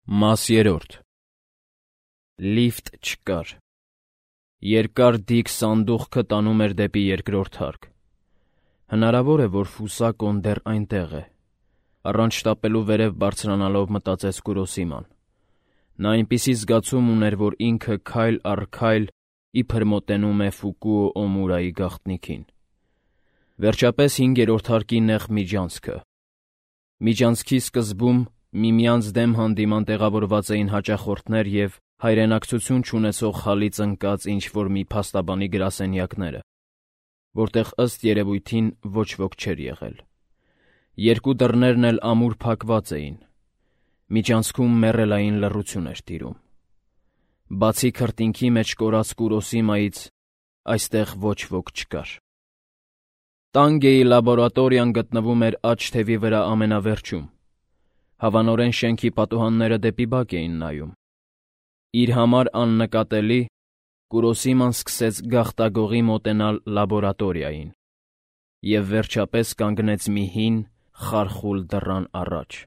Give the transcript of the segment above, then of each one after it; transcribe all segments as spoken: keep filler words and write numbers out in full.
Մաս երրորդ Լիֆտ չկար։ Երկար դիք սանդուղքը տանում էր դեպի երկրորդ հարկ։ Հնարավոր է, որ Ֆուսակոն դեռ այնտեղ է։ Առանց շտապելու վերև բարձրանալով մտածեց Կուրոսիման։ Նա այնպիսի զգացում ուներ, որ ինքը քայլ առ քայլ իբր մոտենում է Ֆուկուո Օմուրայի գաղտնիքին։ Վերջապես հինգերորդ հարկի նեղ միջանցքը։ Միջանցքի սկզբում միմյանց դեմ հանդիման տեղավորված էին հաճախորդներ և հայրենակցություն չունեցող խալից ընկած ինչ-որ մի փաստաբանի գրասենյակները, որտեղ ըստ երևույթին ոչ ոք չէր եղել։ Երկու դռներն էլ ամուր փակված էին։ Միջանցքում մեռելային լռություն էր տիրում։ Բացի քրտինքի մեջ կորած Կուրոսիմայից այստեղ ոչ ոք չկար։ Տանգեի լաբորատորիան գտնվում էր աջ թևի վրա ամենավերջում։ Հավանորեն շենքի պատուհանները դեպի բակ էին նայում։ Իր համար աննկատելի Կուրոսիման սկսեց գաղտագողի մոտենալ լաբորատորիային և վերջապես կանգնեց մի հին, խարխուլ դռան առաջ։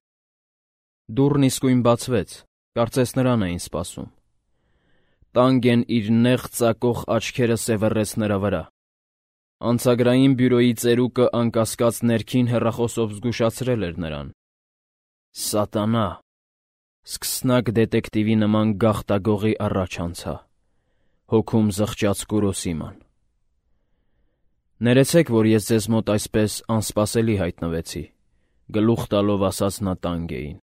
Դուռն իսկույն բացվեց, կարծես նրան էին սպասում։ Տանգեն իր նեղ ծակող աչքերը սևեռեց նրա վրա։ Անցագրային բյուրոյի ծերուկը անկասկած ներքին հեռախոսով զգուշացրել էր նրան։ Սատանա, սկսնակ դետեկտիվի նման գաղտագողի առաջ անցա, հոգում զղջաց Կուրոսիման։ Ներեցեք, որ ես ձեզ մոտ այսպես անսպասելի հայտնվեցի, գլուխ տալով ասաց նա Տանգեին։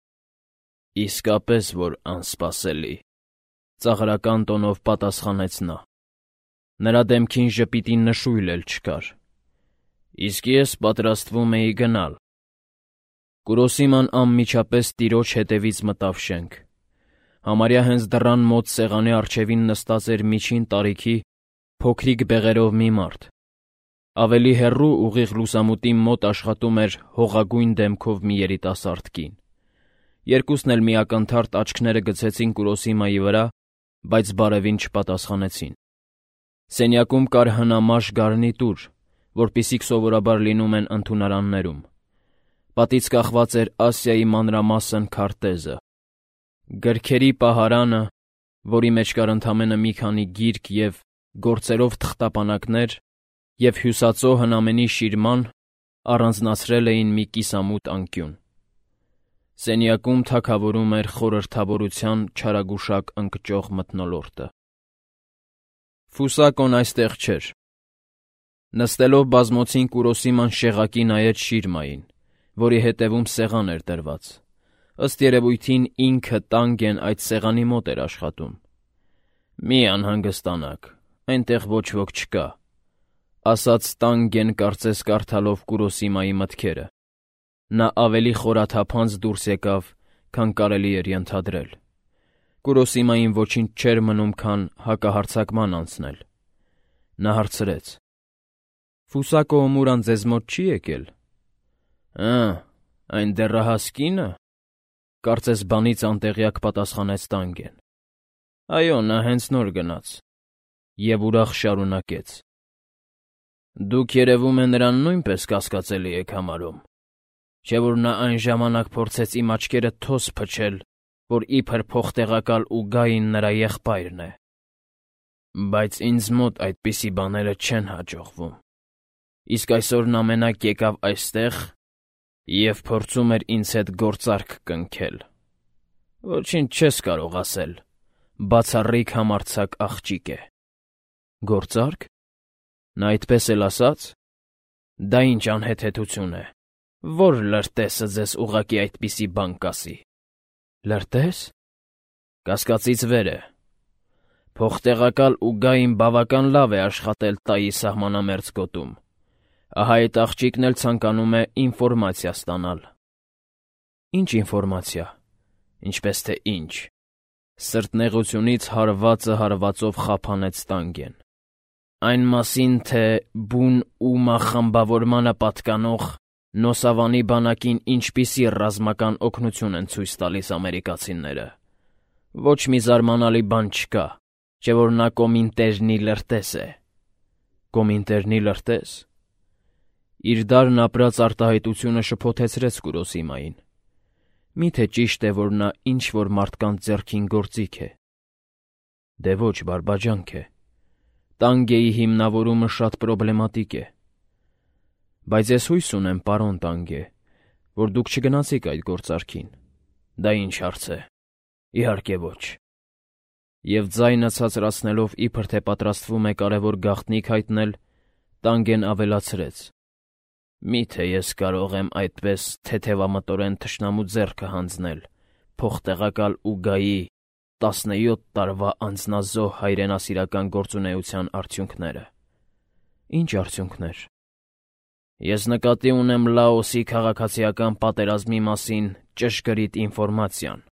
Իսկապես որ անսպասելի, ծաղրական տոնով պատասխանեց նա։ Նրա դեմքին ժպիտի նշույլ էլ չկար։ Իսկ ես պատրաստվում էի գնալ։ Կուրոսիման անմիջապես տիրոջ հետևից մտավ շենք։ Համարյա հենց դռան մոտ սեղանի առջևին նստած էր միջին տարիքի փոքրիկ բեղերով մի մարդ։ Ավելի հեռու ուղիղ լուսամուտի մոտ աշխատում էր հողագույն դեմքով մի երիտասարդ կին։ Երկուսն էլ մի ակնթարթ աչքները գցեցին Կուրոսիմայի վրա, բայց բարևին չպատասխանեցին։ Սենյակում կար հնամաշ գարնիտուր, որպիսիք սովորաբար լինում են ընդունարաններում։ Պատից կախված էր Ասիայի մանրամասն քարտեզը։ Գրքերի պահարանը, որի մեջ կար ընդամենը մի քանի գիրք և գործերով թղթապանակներ, և հյուսածո հնամենի շիրման, առանձնացրել էին մի կիսամութ անկյուն։ Սենյակում թագավորում էր խորհրդավորության չարագուշակ ընկճող մթնոլորտը։ Ֆուսակոն այստեղ չէր։ Նստելով բազմոցին Կուրոսիման շեղակի նայեց շիրմային, որի հետևում սեղան էր դրված։ Ըստ երևույթին ինքը Տանգեն այդ սեղանի մոտ էր աշխատում։ Մի անհանգստանաք, այնտեղ ոչ ոք չկա, ասաց Տանգեն կարծես կարդալով Կուրոսիմայի մտքերը։ Նա ավելի խորաթափանց դուրս եկավ, քան կարելի էր ենթադրել։ Կուրոսիմային ոչինչ չէր մնում, քան հակահարձակման անցնել։ Նա հարցրեց. Ֆուսակո Օմուրան ձեզ մոտ չի եկել։ Ա, այն դեռահաս կինը, կարծես բանից անտեղյակ պատասխանեց Տանգեն։ Այո, նա հենց նոր գնաց։ Եվ ուրախ շարունակեց. Դուք երևում է նրան նույնպես կասկածելի եք համարում, չէ՞ որ նա այն ժամանակ փորձեց իմ աչքերը թոս փչել, որ իբր փոխտեղակալ ու գային նրա եղբայրն է։ Բայց ինձ մոտ այդպիսի բաները չեն հաջողվում։ Իսկ այսօր նա մենակ եկավ այստեղ և փորձում էր ինձ հետ գործարք կնքել։ Ոչինչ չես կարող ասել, բացառիկ համարձակ աղջիկ է։ Գործարք։ Նա այդպես էլ ասաց։ Դա ինչ անհեթեթություն է, որ լրտեսը ձեզ ուղղակի այդպիսի բան կասի։ Լրտես։ Կասկածից վեր է։ Փոխտեղակալ ու գային բավական լավ է աշխատել Տայի սահմանամերձ գոտում։ Ահա այդ աղջիկն էլ ցանկանում է ինֆորմացիա ստանալ։ Ինչ ինֆորմացիա։ Ինչպես թե ինչ։ Սրտնեղությունից հարվածը հարվածով խափանեց Տանգեն։ Այն մասին, թե բուն Ումա խմբավորմանը պատկանող Նոսավանի բանակին ինչպիսի ռազմական օգնություն են ցույց տալիս ամերիկացիները։ Ոչ մի զարմանալի բան չկա, չէ՞ որ նա Կոմինտերնի լրտես է։ Կոմինտերնի լրտես։ Իր դարն ապրած արտահայտությունը շփոթեցրեց Կուրոսիմային։ Մի՞թե ճիշտ է, որ նա ինչ-որ մարդկանց ձեռքին գործիք է։ Դե ոչ, բարբաջանք է։ Տանգեի հիմնավորումը շատ պրոբլեմատիկ է։ Բայց ես հույս ունեմ, պարոն Տանգե, որ դուք չգնացիք այդ գործարքին։ Դա ինչ հարց է։ Իհարկե ոչ։ Եվ ձայնը ցածրացնելով իբր թե պատրաստվում է կարևոր գաղտնիք հայտնել, Տանգեն ավելացրեց. Մի՞թե ես կարող եմ այդպես թեթևամտորեն թշնամու ձեռքը հանձնել փոխտեղակալ Ուգայի տասնյոթ տարվա անձնազոհ հայրենասիրական գործունեության արդյունքները։ Ինչ արդյունքներ։ Ես նկատի ունեմ Լաոսի քաղաքացիական պատերազմի մասին ճշգրիտ ինֆորմացիան։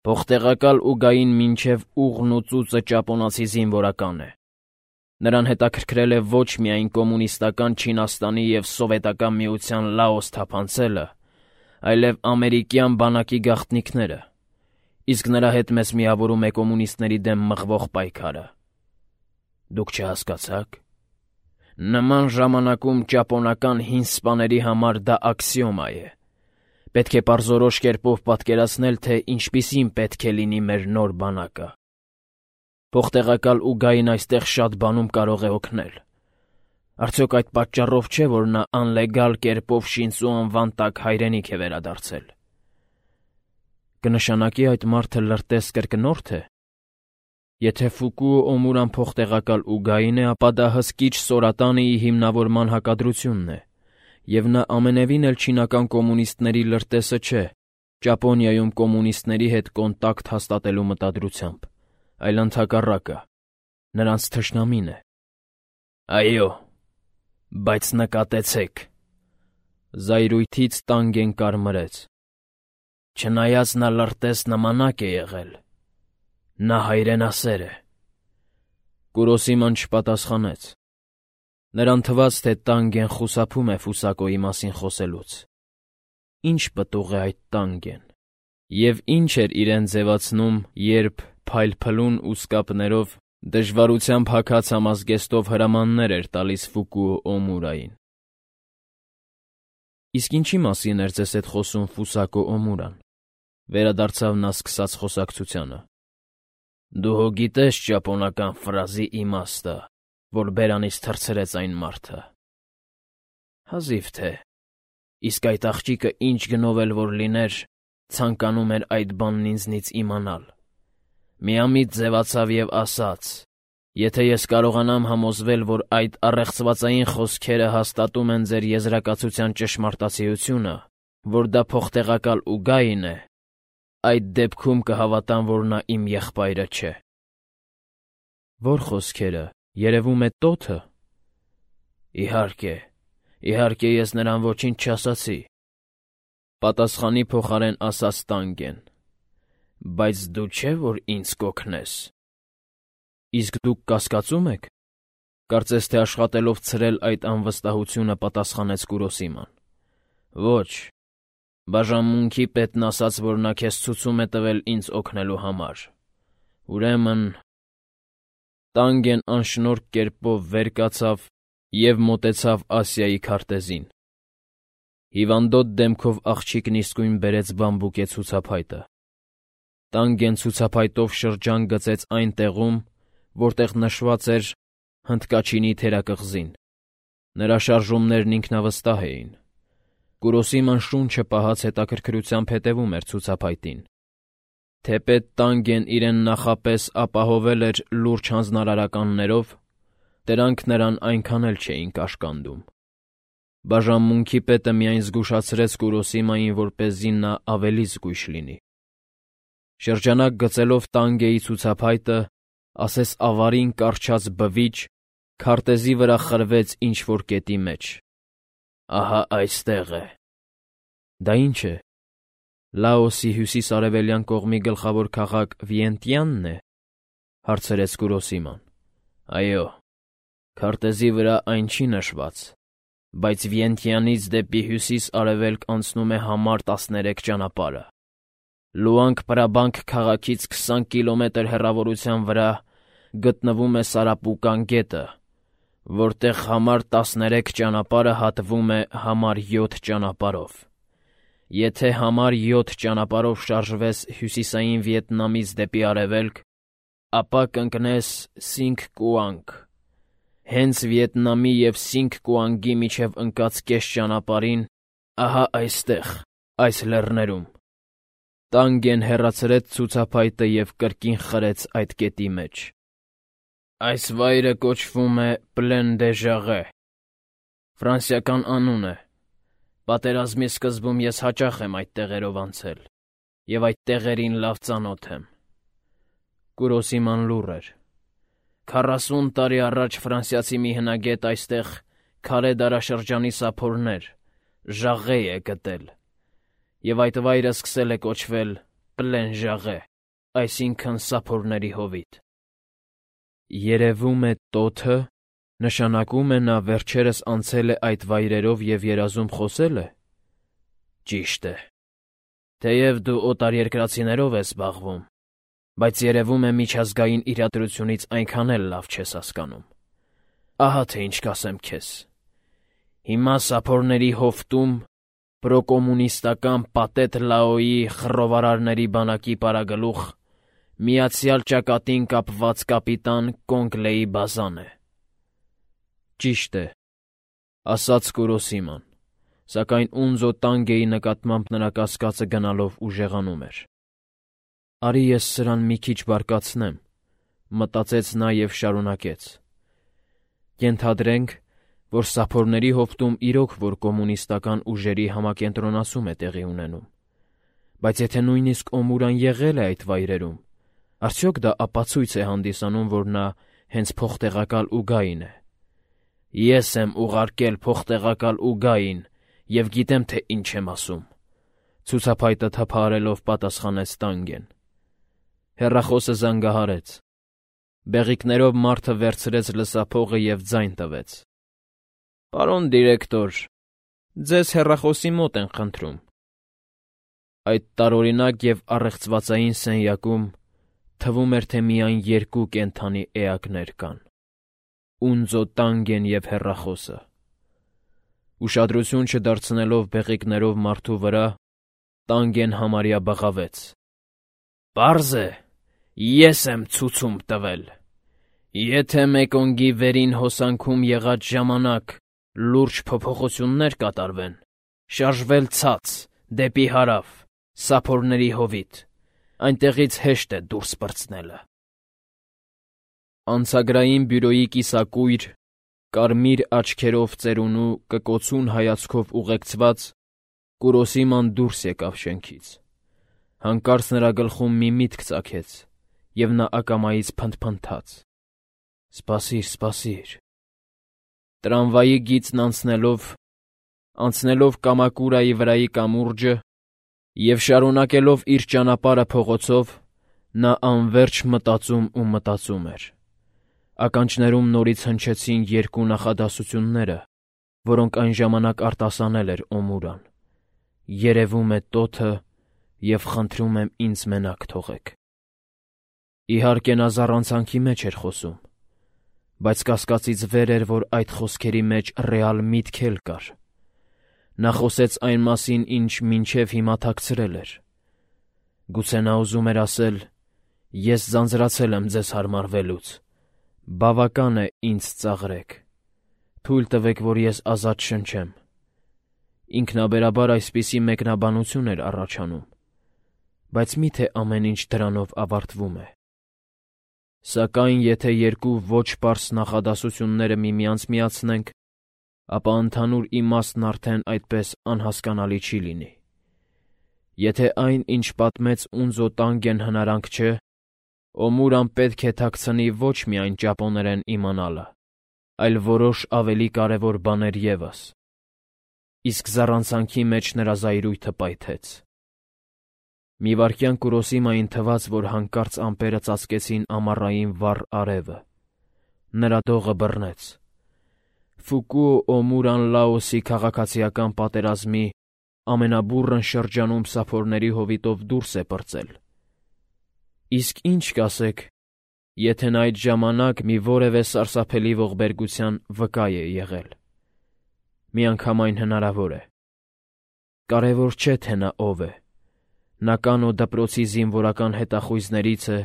Փոխտեղակալ Ուգային մինչև ուղն ու ծուծը ճապոնացի զինվորական է։ Նրան հետաքրքրել է ոչ միայն կոմունիստական Չինաստանի և Սովետական Միության Լաոս թափանցելը, այլև ամերիկյան բանակի գաղտնիքները, իսկ նրա հետ մեզ միավորում է կոմունիստների դեմ մղվող պայքարը։ Դուք չհասկացաք։ Նման ժամանակում ճապոնական հին սպաների համար դա աքսիոմա է։ Պետք է պարզորոշ կերպով պատկերացնել, թե ինչպիսին պետք է լինի մեր նոր բանակը։ Փոխտեղակալ Ուգային այստեղ շատ բանում կարող է օգնել։ Արդյոք այդ պատճառով չէ, որ նա անլեգալ կերպով Շինծու անվան տակ հայրենիք է վերադարձել։ Կնշանակի այդ մարդը լրտես կրկնորդ է։ Եթե Ֆուկուո Օմուրան փոխտեղակալ Ուգային է, ապա դա հսկիչ Սորատանիի հիմնավորման հակադրությունն է, և նա ամենևին էլ չինական կոմունիստների լրտեսը չէ, Ճապոնիայում կոմունիստների հետ կոնտակտ հաստատելու մտադրությամբ, այլ ընդհակառակը, նրանց թշնամին է։ Այո, բայց նկատեցեք, զայրույթից Տանգեն կարմրեց։ Չնայած նա լրտես նմանակ է եղել, նա հայրենասեր է։ Կուրոսիման չպատասխանեց։ Նրան թվաց, թե Տանգեն խուսափում է Ֆուսակոյի մասին խոսելուց։ Ինչ պտուղ է այդ Տանգեն, և ինչ էր իրեն ձևացնում, երբ փայլփլուն ուսկապներով դժվարությամբ հագած համազգեստով հրամաններ էր տալիս Ֆուկուո Օմուրային։ Իսկ ինչի մասին էր ձեզ հետ խոսում Ֆուսակո Օմուրան, վերադարձավ նա սկսած խոսակցությանը։ Դու հո գիտես ճապոնական ֆրազի իմաստը, որ բերանից թռցրեց այն մարդը։ Հազիվ թե, իսկ այդ աղջիկը ինչ գնով էլ որ լիներ, ցանկանում էր այդ բանն ինձնից իմանալ։ Միամիտ ձևացավ և ասաց. եթե ես կարողանամ համոզվել, որ այդ առեղծվածային խոսքերը հաստատում են ձեր եզրակացության ճշմարտացիությունը, որ դա փոխտեղակալ Ուգային է, այդ դեպքում կհավատամ, որ նա իմ եղբայրը չէ։ Ո՞ր խոսքերը, երևում է տոթը։ Իհարկե, իհարկե ես նրան ոչինչ չասացի։ Պատասխանի փոխարեն ասաց Տանգեն. Բայց դու չէ, որ ինձ կօգնես։ Իսկ դուք կասկածում եք։ Կարծես թե աշխատելով ցրել այդ անվստահությունը պատասխանեց Կուրոսիման։ Ոչ, բաժանմունքի պետն ասաց, որ նա քեզ ցուցում է տվել ինձ օգնելու համար։ Ուրեմն… Տանգեն անշնորհք կերպով վեր կացավ և մոտեցավ Ասիայի քարտեզին։ Հիվանդոտ դեմքով աղջիկն իսկույն բերեց բամբուկե ցուցափայտը։ Տանգեն ցուցափայտով շրջան գծեց այն տեղում, որտեղ նշված էր հնդկաչինի թերակղզին։ Նրա շարժումներն ինքնավստահ էին։ Կուրոսիման շունչը պահած հետաքրքրությամբ հետևում էր ցուցափայտին։ Թեպետ Տանգեն իրեն նախապես ապահովել էր լուրջ հանձնարարականներով, դրանք նրան այնքան էլ չէին կաշկանդում։ Բաժանմունքի պետը միայն զգուշացրեց Կուրոսիմային, որպեսզի նա ավելի զգույշ լինի։ Շրջանակ գծելով Տանգեի ցուցափայտը, ասես ավարին կառչած բվիչ, քարտեզի վրա խրվեց ինչ-որ կետի մեջ։ Ահա այստեղ է։ Դա ի՞նչ է։ Լաոսի հյուսիս-արևելյան կողմի գլխավոր քաղաք Վիենտիանն է, հարցրեց Կուրոսիման։ Այո, քարտեզի վրա այն չի նշված, բայց Վիենտիանից դեպի հյուսիս-արևելք անցնում է համար տասներեք ճանապարհը։ Լուանգ-Պրաբանկ քաղաքից քսան կիլոմետր հեռավորության վրա գտնվում է Սարապուկան գետը, որտեղ համար տասներեք ճանապարհը հատվում է համար յոթ ճանապարհով։ Եթե համար յոթ ճանապարհով շարժվես հյուսիսային Վիետնամից դեպի արևելք, ապա կընկնես Սինգ Կուանգ։ Հենց Վիետնամի և Սինգ Կուանգի միջև ընկած կես ճանապարհին, ահա այստեղ, այս լեռներում։ Տանգեն հեռացրեց ցուցափայտը և կրկին խրեց այդ կետի մեջ։ Այս վայրը կոչվում է Պլեն դե Ժաղե, ֆրանսիական անուն է։ Պատերազմի սկզբում ես հաճախ եմ այդ տեղերով անցել, և այդ տեղերին լավ ծանոթ եմ։ Կուրոսիման լուռ էր։ Քառասուն տարի առաջ ֆրանսիացի մի հնագետ այստեղ քարե դարաշրջանի սափորներ, ժաղե է գտել, և այդ վայրը սկսել է կոչվել Պլեն Ժաղե, այսինքն սափորների հովիտ։ Երևում է տոթը նշանակում է նա վերջերս անցել է այդ վայրերով և երազում խոսել է։ Ճիշտ է։ Թեև դու օտարերկրացիներով ես զբաղվում, բայց երևում է միջազգային իրադրությունից այնքան էլ լավ չես հասկանում։ Ահա թե ինչ կասեմ քեզ։ Հիմա սափորների հովտում պրոկոմունիստական Պատետ Լաոյի խռովարարների բանակի պարագլուխ միացյալ ճակատին կապված կապիտան Կոնգլեի բազան է։ Ճիշտ է, ասաց Կուրոսիման, սակայն Ունձո Տանգեի նկատմամբ նրա կասկածը գնալով ուժեղանում էր։ Արի ես սրան մի քիչ բարկացնեմ, մտածեց նա և շարունակեց. Ենթադրենք, որ սափորների հովտում իրոք որ կոմունիստական ուժերի համակենտրոնացում է տեղի ունենում, բայց եթե նույնիսկ Օմուրան եղել է այդ վայրերում, արդյոք դա ապացույց է հանդիսանում, որ նա հենց փոխտեղակալ Ուգային է։ Ես եմ ուղարկել փոխտեղակալ Ուգային և գիտեմ, թե ինչ եմ ասում, ցուցափայտը թափահարելով պատասխանեց Տանգեն։ Հեռախոսը զանգահարեց։ Բեղիկներով մարդը վերցրեց լսափողը և ձայն տվեց։ Պարոն դիրեկտոր, ձեզ հեռախոսի մոտ են խնդրում։ Այդ տարօրինակ և առեղծվածային սենյակում թվում էր, թե միայն երկու կենդանի էակներ կան. Ունձո Տանգեն և հեռախոսը։ Ուշադրություն չդարձնելով բեղիկներով մարդու վրա, Տանգեն համարյա բղավեց. Պարզ է, ես եմ ցուցում տվել։ Եթե Մեկոնգի վերին հոսանքում եղած ժամանակ լուրջ փոփոխություններ կատարվեն, շարժվել ցած, դեպի հարավ, սափորների հովիտ, այնտեղից հեշտ է դուրս պրծնելը։ Անցագրային բյուրոյի կիսակույր, կարմիր աչքերով ծերունու կկոցուն հայացքով ուղեկցված, Կուրոսիման դուրս եկավ շենքից։ Հանկարծ նրա գլխում մի միտք ծագեց, և նա ակամայից փնթփնթաց. «Սպասիր, սպասիր»։ Տրամվայի գիծն անցնելով, անցնելով Կամակուրայի վրայի կամուրջը և շարունակելով իր ճանապարհը փողոցով, նա անվերջ մտածում ու մտածում էր։ Ականջներում նորից հնչեցին երկու նախադասությունները, որոնք այն ժամանակ արտասանել էր Օմուրան. «Երևում է տոթը և խնդրում եմ ինձ մենակ թողեք»։ Իհարկե նա զառանցանքի մեջ էր խոսում, բայց կասկածից վեր էր, որ այդ խոսքերի մեջ ռեալ միտք էլ կար։ Նա խոսեց այն մասին, ինչ մինչև հիմա թաքցրել էր։ Գուցե նա ուզում էր ասել. «Ես ձանձրացել եմ ձեզ հարմարվելուց, բավական է ինձ ծաղրեք, թույլ տվեք, որ ես ազատ շնչեմ»։ Ինքնաբերաբար այսպիսի մեկնաբանություն էր առաջանում, բայց մի՞թե ամեն ինչ դրանով ավարտվում է։ Սակայն եթե երկու ոչ պարզ նախադասությունները միմյանց միացնենք, ապա ընդհանուր իմաստն արդեն այդպես անհասկանալի չի լինի։ Եթե այն, ինչ պատմեց Ունձո Տանգեն հնարանք չէ, Օմուրան պետք է թաքցնի ոչ միայն ճապոներեն իմանալը, այլ որոշ ավելի կարևոր բաներ ևս։ Իսկ զառանցանքի մեջ նրա զայրույթը պայթեց։ Մի վայրկյան Կուրոսիմային թվաց, որ հանկարծ ամպերը ծածկեցին ամառային վառ արևը։ Նրա դողը բռնեց։ Ֆուկուո Օմուրան Լաոսի քաղաքացիական պատերազմի ամենաբուռն շրջանում սափորների հովիտով դուրս է պրծել։ Իսկ ինչ կասեք, եթե նա այդ ժամանակ մի որևէ սարսափելի ողբերգության վկա է եղել։ Միանգամայն հնարավոր է։ կարևոր չէ, թե նա ով է։ Նա կանո դպրոցի զինվորական հետախույզներից է,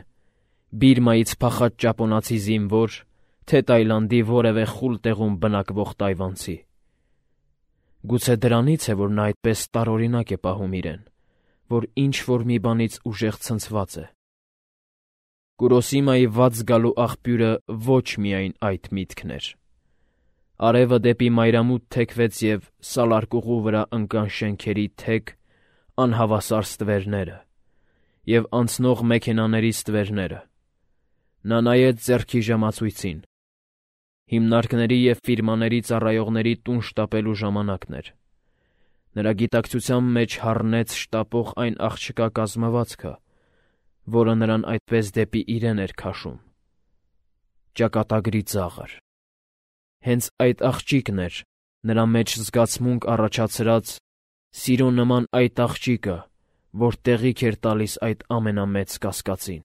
Բիրմայից փախած ճապոնացի զինվոր, թե Տայլանդի որևէ խուլ տեղում բնակվող տայվանցի։ Գուցե դրանից է, որ նա այդպես տարօրինակ է պահում իրեն, որ ինչ-որ մի բանից ուժեղ ցնցված է։ Կուրոսիմայի վատ զգալու աղբյուրը ոչ միայն այդ միտքն էր։ Արևը դեպի մայրամուտ թեքվեց և սալարկուղու վրա ընկան շենքերի թեք, անհավասար ստվերները և անցնող մեքենաների ստվերները։ Նա նայեց ձեռքի ժամացույցին։ Հիմնարկների և ֆիրմաների ծառայողների տուն շտապելու ժամանակն էր։ Նրա գիտակցության մեջ հառնեց շտապող այն աղջկա կազմվածքը, որը նրան այդպես դեպի իրեն էր քաշում։ Ճակատագրի ծաղր։ Հենց այդ աղջիկն էր նրա մեջ զգացմունք առաջացրած, սիրո նման այդ աղջիկը, որ տեղիք էր տալիս այդ ամենամեծ կասկածին։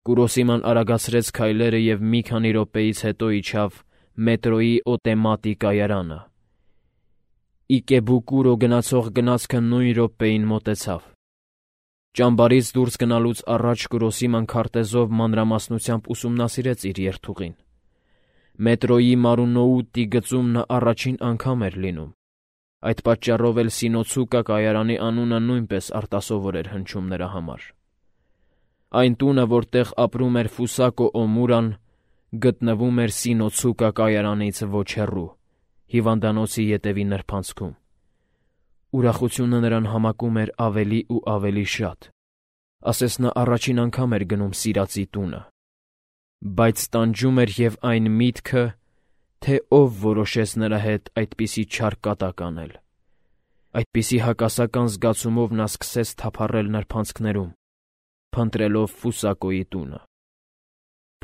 Կուրոսիման արագացրեց քայլերը և մի քանի րոպեից հետո իջավ մետրոյի օտեմատի կայարանը։ Իկեբուկուրո գնացող գնացքը նույն րոպեին մոտեցավ։ Ճամբարից դուրս գնալուց առաջ Կուրոսիման քարտեզով մանրամասնությամբ ուսումնասիրեց իր երթուղին։ Մետրոյի Մարունոուտի գծում նա առաջին անգամ էր լինում։ Այդ պատճառով էլ Սինոցուկա կայարանի անունը նույնպես արտասովոր էր հնչում նրա համար։ Այն տունը, որտեղ ապրում էր Ֆուսակո Օմուրան, գտնվում էր Սինոցուկա կայարանից ոչ հեռու, հիվանդանոցի ետևի նրբանցքում։ Ուրախությունը նրան համակում էր ավելի ու ավելի շատ, ասես նա առաջին անգամ էր գնում սիրածի տունը։ Բայց տանջում էր և այն միտքը, թե ով որոշեց նրա հետ այդպիսի չար կատակ անել։ Այդպիսի հակասական զգացումով նա սկսեց թափառել նրբանցքներում, փնտրելով Ֆուսակոյի տունը։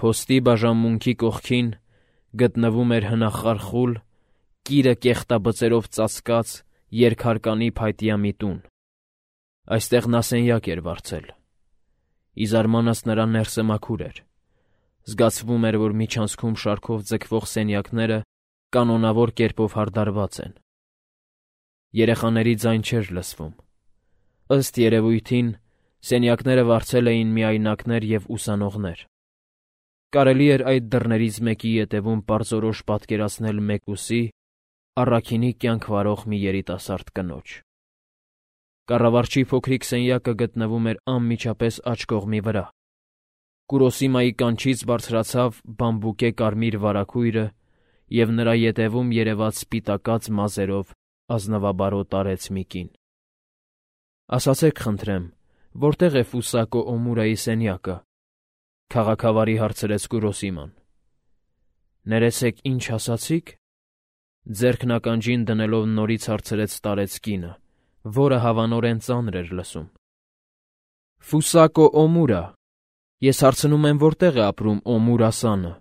Փոստի բաժանմունքի կողքին գտնվում էր հնախարխուլ, կիրը կեղտաբծերով ծածկած երկհարկանի փայտյա մի տուն։ Այստեղ նա սենյակ էր վարձել։ Ի զարմանս նրա ներսը մաքուր էր։ Զգացվում էր, որ միջանցքում շարքով ձգվող սենյակները կանոնավոր կերպով հարդարված են։ Երեխաների ձայն չէր լսվում։ Ըստ երևույթին, սենյակները վարձել էին միայնակներ և ուսանողներ։ Կարելի էր այդ դռներից մեկի ետևում պարզորոշ պատկերացնել մեկուսի, առաքինի կյանք վարող մի երիտասարդ կնոջ։ Կառավարչի փոքրիկ սենյակը գտնվում էր անմիջապես աջ կողմի վրա։ Կուրոսիմայի կանչից բարձրացավ բամբուկե կարմիր վարագույրը և նրա ետևում երևաց սպիտակած մազերով ազնվաբարոտ արեց մի կին։ «Ասացեք, խնդրեմ, որտեղ է Ֆուսակո Օմուրայի սենյակը», քաղաքավարի հարցրեց Կուրոսիման։ «Ներեցեք, ինչ ասացիք», ձեռքն ականջին դնելով նորից հարցրեց տարեց կինը, որը հավանորեն ծանր էր լսում։ «Ֆուսակո Օմուրա, ես հարցնում եմ, որտեղ է ապրում Օմուրասանը»։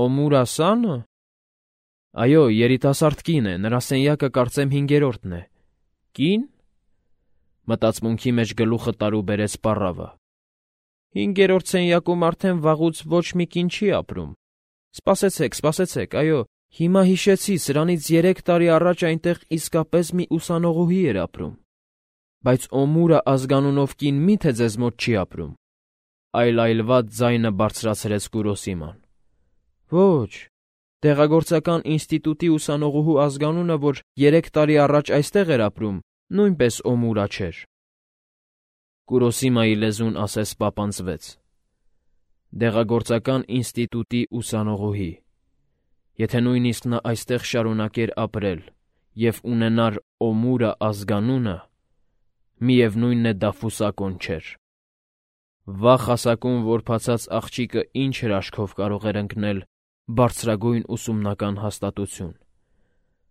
«Օմուրասանը»։ Այո, երիտասարդ կին է, նրա սենյակը կարծեմ հինգերորդն է։ Կի՞ն։ Մտածմունքի մեջ գլուխը տարուբերեց պառավը։ Հինգերորդ սենյակում արդեն վաղուց ոչ մի կին չի ապրում։ Սպասեցեք, սպասեցեք, այո, հիմա հիշեցի, սրանից երեք տարի առաջ այնտեղ իսկապես մի ուսանողուհի էր ապրում։ Բայց Օմուրա ազգանունով կին մի՞թե ձեզ մոտ չի ապրում։ Այլայլված ձայնը բարձրացրեց Կուրոսիման։ Ոչ, դեղագործական ինստիտուտի ուսանողուհու ազգանունը, որ երեք տարի առաջ այստեղ էր ապրում, նույնպես Օմուրա չէր։ Կուրոսիմայի լեզուն ասես պապանձվեց։ Դեղագործական ինստիտուտի ուսանողուհի։ Եթե նույնիսկ նա այստեղ շարունակեր ապրել և ունենար Օմուրա ազգանունը, միևնույնն է դա Ֆուսակոն չէր։ Վաղ հասակում որբացած աղջիկը ինչ հրաշքով կարող էր ընկնել բարձրագույն ուսումնական հաստատություն,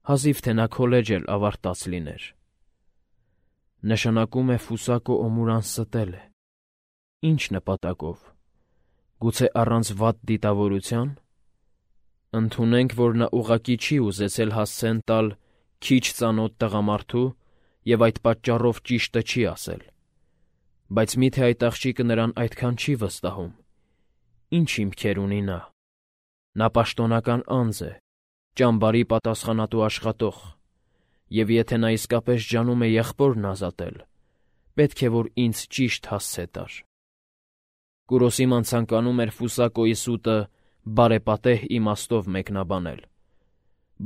հազիվ թե նա քոլեջ էլ ավարտած լիներ։ Նշանակում է Ֆուսակո Օմուրան ստել է։ Ինչ նպատակով։ Գուցե առանց վատ դիտավորության։ Ընդունենք, որ նա ուղղակի չի ուզեցել հասցեն տալ քիչ ծանոթ տղամարդու և այդ պատճառով ճիշտը չի ասել։ Բայց մի՞թե այդ աղջիկը նրան այդքան չի վստահում։ Ինչ հիմքեր ունի նա։ Նա պաշտոնական անձ է, ճամբարի պատասխանատու աշխատող, Եվ եթե նա իսկապես ջանում է եղբորն ազատել, պետք է, որ ինձ ճիշտ հասցե տար։ Կուրոսիման ցանկանում էր Ֆուսակոյի սուտը բարեպատեհ իմաստով մեկնաբանել,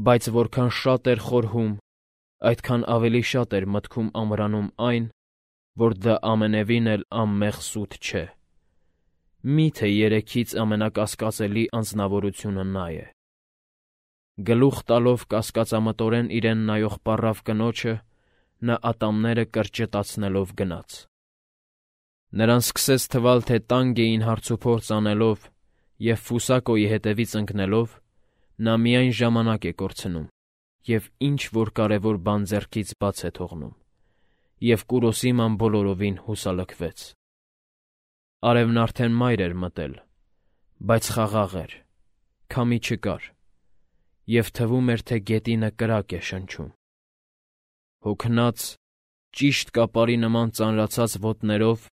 բայց որքան շատ էր խորհում, այդքան ավելի շատ էր մտքում ամրանում այն, որ դա ամենևին էլ անմեղ սուտ չէ։ Մի՞թե երեքից ամենակասկածելի անձնավորությունը նա է։ Գլուխ տալով կասկածամտորեն իրեն նայող պառավ կնոջը, նա ատամները կրճտացնելով գնաց։ Նրան սկսեց թվալ, թե տանգ էին հարցուփորձ անելով և Ֆուսակոյի հետևից ընկնելով, նա միայն ժամանակ է կորցնում և ինչ-որ կարևոր բան ձեռքից բաց է թողնում, և Կուրոսիման բոլորովին հուսալքվեց։ Արևն արդեն մայր էր մտել, բայց խաղաղ էր, քամի չկար, և թվում էր, թե գետինը կրակ է շնչում։ Հոգնած, ճիշտ կապարի նման ծանրացած ոտներով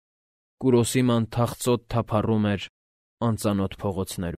Կուրոսիման թախծոտ թափառում էր անծանոթ փողոցներում։